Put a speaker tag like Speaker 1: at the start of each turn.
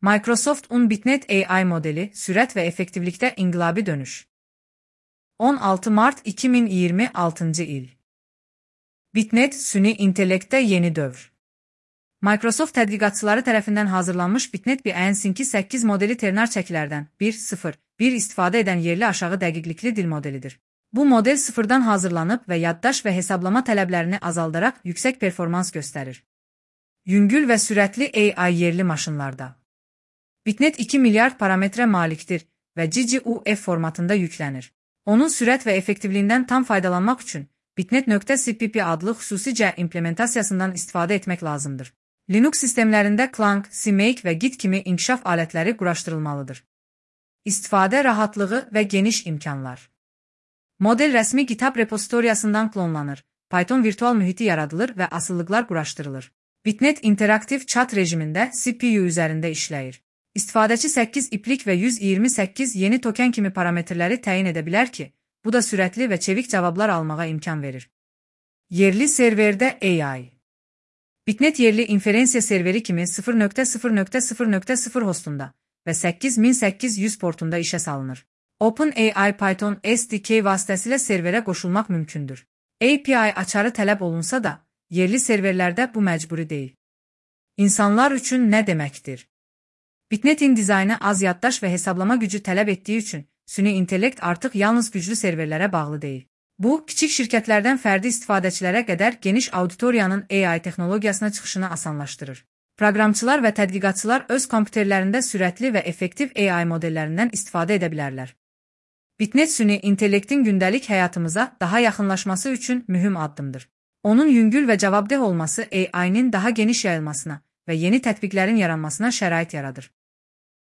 Speaker 1: Microsoft Bitnet AI modeli, sürət və effektivlikdə inqilabi dönüş. 16 Mart 2026 il. Bitnet, süni intellektdə yeni dövr. Microsoft tədqiqatçıları tərəfindən hazırlanmış Bitnet BN 8 modeli ternar çəkilərdən 1.0.1 istifadə edən yerli aşağı dəqiqlikli dil modelidir. Bu model sıfırdan hazırlanıb və yaddaş və hesablama tələblərini azaldaraq yüksək performans göstərir. Yüngül və sürətli AI yerli maşınlarda. Bitnet 2 milyard parametrə malikdir və GGUF formatında yüklənir. Onun sürət və effektivliyindən tam faydalanmaq üçün Bitnet.cpp adlı xüsusi implementasiyasından istifadə etmək lazımdır. Linux sistemlərində Clang, CMake və Git kimi inkişaf alətləri quraşdırılmalıdır. İstifadə rahatlığı və geniş imkanlar. Model rəsmi GitHub repozitoriyasından klonlanır, Python virtual mühiti yaradılır və asıllıqlar quraşdırılır. Bitnet interaktiv chat rejimində CPU üzərində işləyir. İstifadəçi 8 iplik və 128 yeni token kimi parametrləri təyin edə bilər ki, bu da sürətli və çevik cavablar almağa imkan verir. Yerli serverdə AI. Bitnet yerli inferensiya serveri kimi 0.0.0.0 hostunda və 8800 portunda işə salınır. OpenAI Python SDK vasitəsilə serverə qoşulmaq mümkündür. API açarı tələb olunsa da, yerli serverlərdə bu məcburi deyil. İnsanlar üçün nə deməkdir? Bitnetin dizaynı az yaddaş və hesablama gücü tələb etdiyi üçün süni intellekt artıq yalnız güclü serverlərə bağlı deyil. Bu, kiçik şirkətlərdən fərdi istifadəçilərə qədər geniş auditoriyanın AI texnologiyasına çıxışını asanlaşdırır. Proqramçılar və tədqiqatçılar öz kompüterlərində sürətli və effektiv AI modellərindən istifadə edə bilərlər. Bitnet süni intellektin gündəlik həyatımıza daha yaxınlaşması üçün mühüm addımdır. Onun yüngül və cavabdeh olması AI-nin daha geniş yayılmasına və yeni tətbiqlərin yaranmasına şərait yaradır.